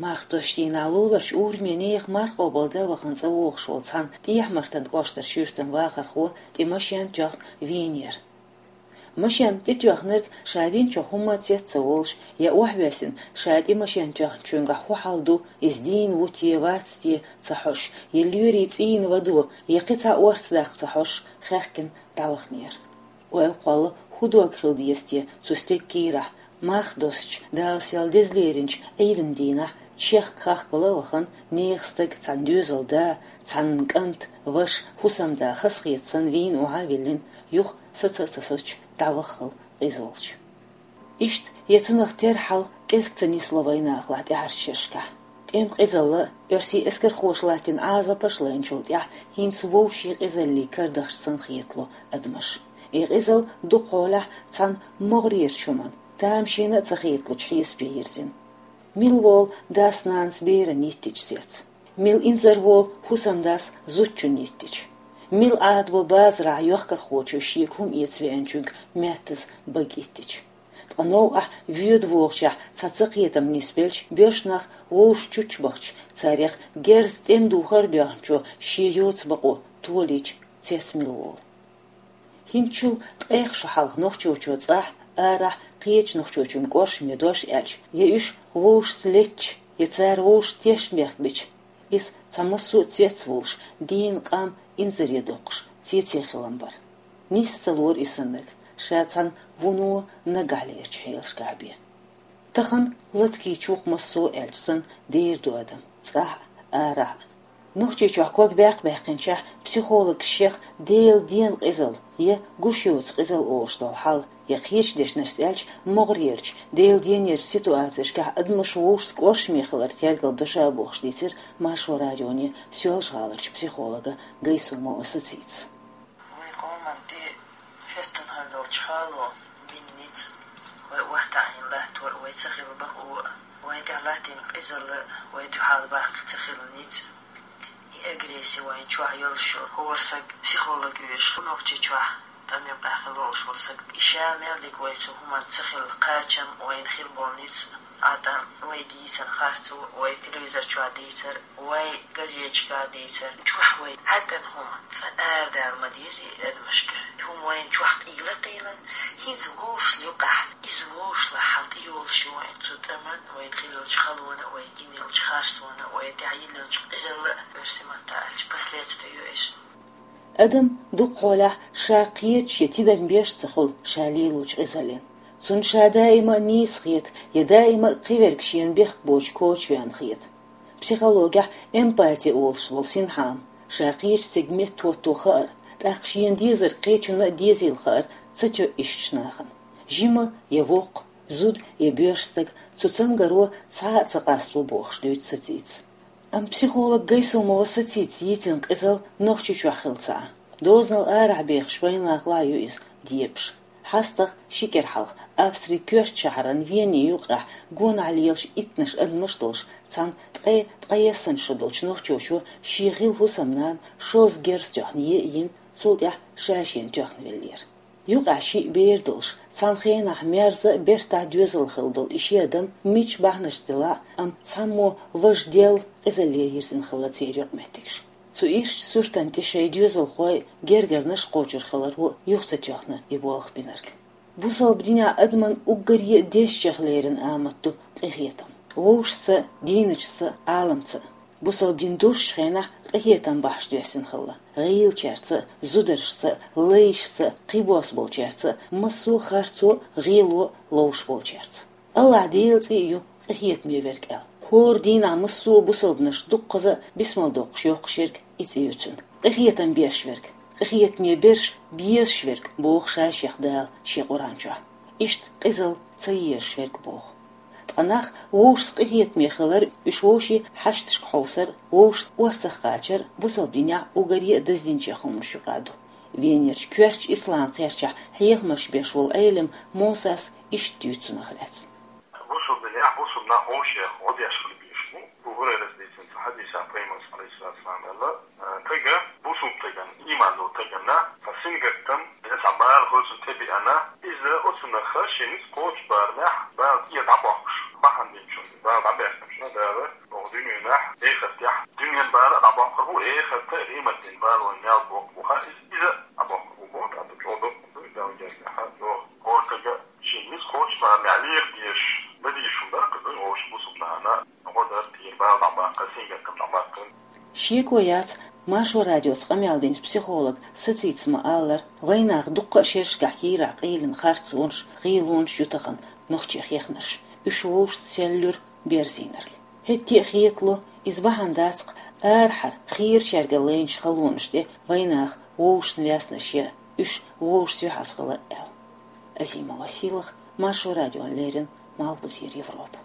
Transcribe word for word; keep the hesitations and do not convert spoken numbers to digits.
Мархдош дийнахь луларчу урамехь нехан марха къобалдан вахана цӀа вогӀуш волу цхьана ТӀехьа-Мартан кӀоштара шуьйртан вахархо тӀе машен тоьхна вийнера. Машен тӀетоьхнарг ша динчух хӀумма цец ца волуш, я охьавоьссина ша тӀе машен тоьхначуьнгахь хӀун хьал ду, иза дийна ву те, вац те ца хьожуш, я лоьрийн цӀийнан вадо, я кхин цхьа орца даккха ца хьожуш, хаьхкина дӀаваханера. Ойла кхолла, хӀун дог хила деза те цу стеган кийрахь, мархдоссачу, Дала сел деза леринчу Ӏийдан дийнахь чехка-хахкала а вахана, нехан стаг, цхьана доьзалан да, цхьанна кӀант, ваша, хӀусамда хазахета санна вийна охьа а виллина, юха саца а ца соцуш дӀаваххал къиза волчу. Иштта я цунах тера хьал кӀезиг ца нисло вайнахалахь тӀаьхьарчу шерашкахь. ТӀеман къизалла а, оьрсийн эскархоша латтийна Ӏазапаш а лайначул тӀаьхьа хӀинца вовшийн къизаллин кара дахча санна хетало адамаш. И къизалла дукхахьолахь цхьана могӀарерчу хӀуманна, тамашийна а ца хеталучу хьесапе йирзина. Мила волу дас-нанас берана йиттича сецца? Мила инзарволу хӀусамдас зудчунна йиттича? Мила Ӏадало базарахь йохкархочо шега хӀума эца веанчуьнга маьттаза бага йиттича? Ткъа новкъахь воьду вогӀучехь цхьа цакхетам нисбелча, боьрша нах вовшашна чучча бахча, царех герза тӀеман духар а доьхначо шен йоцу бакъо толийча, цец мила волу? ХӀинцачул ткъех шо хьалха нохчочо цӀахь, арахь кхечу нохчочун кӀоршаме дош аьлча, я уьш вовшашца леттача, я цара вовшашна тешнабехк бича, иза цхьа массо а цец а волуш, дийна къам инзаре доккхуш, цецваьлла хилла бара. Нийса ца лора и саннарг, ша цхьана вуно наггахь лерчу хьелашкахь бен. Тахана латкийчу вукху массо а аьлча санна дер ду адам, цӀахь а, арахь а. Нохчийчохь ког баьккха баьккхинчохь психологаша шех Делан ден къизалла я гуш йоцу къизалла олуш долу хьал, я кхечу дешнашца аьлча, могӀарерчу, Делан денерчу ситуацешкахь адамаш вовшашца кӀоршаме хилар тергалдо ша бохуш дийцира Маршо радионе Соьлжа-ГӀаларчу психолога Гайсумова Сацитас. Вайн къоман тӀе хӀоьттина хьал долчу хьало бина ницкъ, вай охьатаӀийна латтор, вай ца хилла бакъо а, вайн тӀехь латтийна къизалла, вай дуьхьал баккха ца хилла ницкъ, и агрессия вайн чохь йолуш йолу, хӀора саг психолог оьшуш, Нохчийчохь тӀам юкъахь хила волуш волу саг, и ша мел дика вай цу хӀуманна ца хилла кхачам, вайна хила болу ницкъ, а тӀам вай дийцина харцо, вай телевизор чохь дийцар, вай газеташкахь дийцар, чохь вай хьаьддан хӀума цкъа арадала ма деза и адамашка. И хӀума вайна чохь къийла а къийлина, хӀинца вовшашна юкъахь, иза вовшашна хьал тӀе йолуш ю вайн цу тӀаман, вайна хилла йолчу халона, вай гина йолчу харцона, вай тӀехь йилла йолчу къизалла а, оьрсийн маттахь аьлча, последствие ю иза. Адам дукхахьолахь ша кхеташ я тидам беш а ца хуьлу ша лелочу къизаллина. Цунна ша даима а нийса хета, я даима а кхиверг шена бехк боцуш коча веана хета. Психологехь эмпати олуш волу синхьа ма, ша кхечу стеган метта хӀотто хаар, тӀаккха шена дезарг кхечунна а дезийла хаар ца тоьу иштачу нахана. Жима я воккха, зуда я боьрша стаг, цу цамгаро цхьа а ца къасто бохуш дуьйцу Сацитас. Амма психолог Гайсумова Сацитас йийцина къизалла Нохчийчохь хилла ца Ӏа. Дозанал арахь бехаш вайнахалахь ю иза дебаш. ХьастагӀа ши кӀира хьалха Австрин коьртачу шахьаран Вене юккъехь гонахь лелаш иттанаш адамаш долуш, цхьана ткъе ткъайесна шо долчу нохчочо шен хилла хӀусамнана шозза герз тоьхна е а йина, цул тӀаьхьа ша шена тоьхна веллера. Юкъахь шиъ бер долуш, цхьана хенахь мерза а, бертахь доьзал хилла долу и ши адам мича бахьанашца делахь а, амма цхьаммо важа делла, къизалле йирзина хилла церан юкъаметтигаш. Цу ирчу суьртана тӀе шайн доьзалхой, гергарнаш кхочур хиларо юха ца тоьхна и болх бинарг. Бусалба динехь адаман уггаре а дезачех лерина амат ду къинхетам. Вовшашца, дийначуьнца, Ӏаламца. Бусалба дин доьшучу хенахь къинхетам бахьаш доьссина хилла. ГӀийлачаьрца, зударшца, лайшца, кхиболчаьрца, массо а харцо, гӀело ловш болчаьрца. АллахӀ Делан цӀе а ю къинхетаме верг аьлла. ХӀора дийнахь массо а бусалбанаш дуккхаза а бисмал доккхуш йоккхуш ерг и цӀе ю цуьнан. Къинхетам беш верг, къинхетаме берш безаш верг, боху ша шех Дала шен Къуръан чохь. Иштта къизалла ца езаш верг боху. Ткъа нах вовшашца къинхетаме хилар, уьш вовшийн хьашташка хьовсар, вовшашца орцах кхачар бусалба динехь уггаре а даздинчех хӀуманаш юкъа ду. Венерчу коьртачу ислам кхерчахь хьехамаш беш волу Ӏелам Мусас иштта дуьйцу цунах лаьцна. Бусалба динехь бусалба нах вовшех гӀо деш хила безаш бу. Абу Хурайрас дийцинчу хьадисехь Пайхамара, алейхиссалату вассалам, аьлла: «Тага, бусалба тагана, ийман долу тагана, цхьа сингаттам, я цхьа бала хӀоьцун тӀебеана, иза оцунах шен ницкъ кхочу барамехь, бала тӀера дӀабоккхуш, бахьана динчунна, бала дӀабаьхкинчунна Дала Ву эхарта риматин балон ял боху ха иза а боху боху ада чо доху даун дерна ха доху. Кортага шин мис хоч ма мялих деш, бади шунда кызы ош бусубнана, годар тир бал бакка сингатам бакка. Шеко яц Маршо радиоца къамел динчу психолог Сацица ма аллара, вайнах дуккха а шершкахь кийрахь къийлина харцонаш, гӀийлонаш ю тахана нохчийн хехнарш. Уьш вовшашца селлуьра берзийнарг. ХӀетте а хетало, иза бахьана дац-кх арахьара хийрачаьрга лайначу халонаш тӀе вайнах вовшашна ваьснаш ян, уьш вовшашца юьхьӀаьржа хила аьлла. Азима Василах, Маршо радиона леррина, Малхбузера Европа.